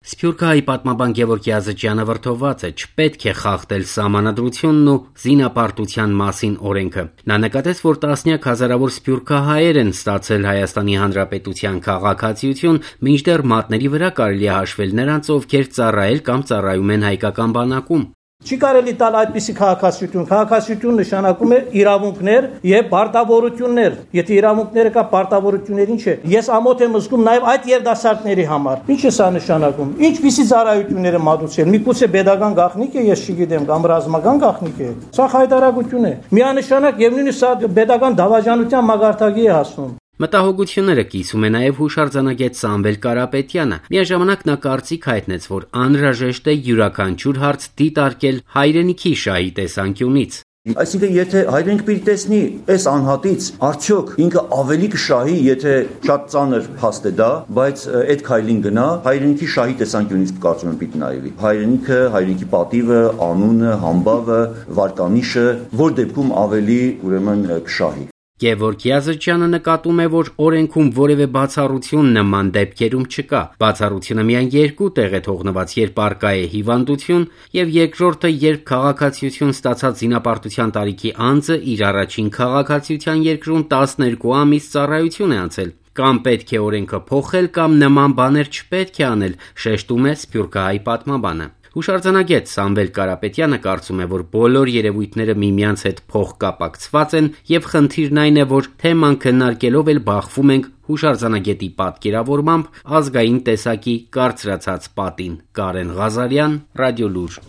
Սփյուռքահայի պատմաբան Գևորգ Յազычյանը վրդովված է, չպետք է խախտել սահմանադրությունն ու զինապարտության մասին օրենքը։ Նա նկատեց, որ տասնյակ հազարավոր սփյուռքահայեր են ստացել Հայաստանի Հանրապետության քաղաքացիություն, մինչդեռ մատների վրա կարելի է հաշվել նրանց, ովքեր ծառայել կամ ծառայում են հայկական բանակում։ Չի կարելի տալ այդպիսի քաղաքացիություն։ Քաղաքացիություն նշանակում է իրավունքներ եւ պարտավորություններ։ Եթե իրավունքները կա, պարտավորություններ ինչ է։ Ես ամոթ եմ զգում նաեւ այդ երիտասարդների համար։ Ինչ է սա նշանակում։ Ինչպիսի ծառայություններ է մատուցել։ Միգուցե pedagogan գաղտնիք է, ես չգիտեմ, կամ ռազմական գաղտնիք է։ Սա հայտարարություն է։ Միանշանակ եւ նույնիսկ սա pedagogan դավաճանության մագարտակի է հասնում։ Մտահոգությունները կիսում է նաև հուշարձանագետ Սամվել Կարապետյանը։ Միաժամանակ նա կարծիք հայտնեց, որ անհրաժեշտ է յուրաքանչյուր հարց դիտարկել հայրենիքի շահի տեսանկյունից։ Այսինքն, եթե հայրենիք պիտի տեսնի այս անհատից, արդյոք ինքը ավելի կշահի, եթե շատ ծանր փաստ է դա, բայց այդ քայլին գնա, հայրենիքի շահի տեսանկյունից կարծում եմ պիտի նայվի։ Հայրենիքը, հայրենիքի պատիվը, անունը, համբավը, վարկանիշը, որ դեպքում ավելի ուրեմն կշահի։ Գևորգ Յազычյանը նկատում է, որ օրենքում որևէ բացառություն նման դեպքերում չկա։ Բացառությունը միայն երկու տեղ է թողնված, երբ առկա է հիվանդություն, եւ երկրորդը, երբ քաղաքացիություն ստացած զինապարտության տարիքի անձը իր առաջին քաղաքացիության երկրում 12 ամիս ծառայություն է անցել։ Կամ պետք է օրենքը փոխել, կամ նման բաներ չպետք է անել, շեշտում է Սփյուռքահայի պատմաբանը։ Հուշարձանագետ Սամվել Կարապետյանը կարծում է, որ բոլոր երևույթները միմյանց հետ փոխկապակցված են եւ խնդիրն այն է, որ թեման քննարկելով էլ բախվում ենք հուշարձանագետի պատկերավորմամբ ազգային տեսակի կարծրացած պատին։ Կարեն Ղազարյան, Ռադիոլուր։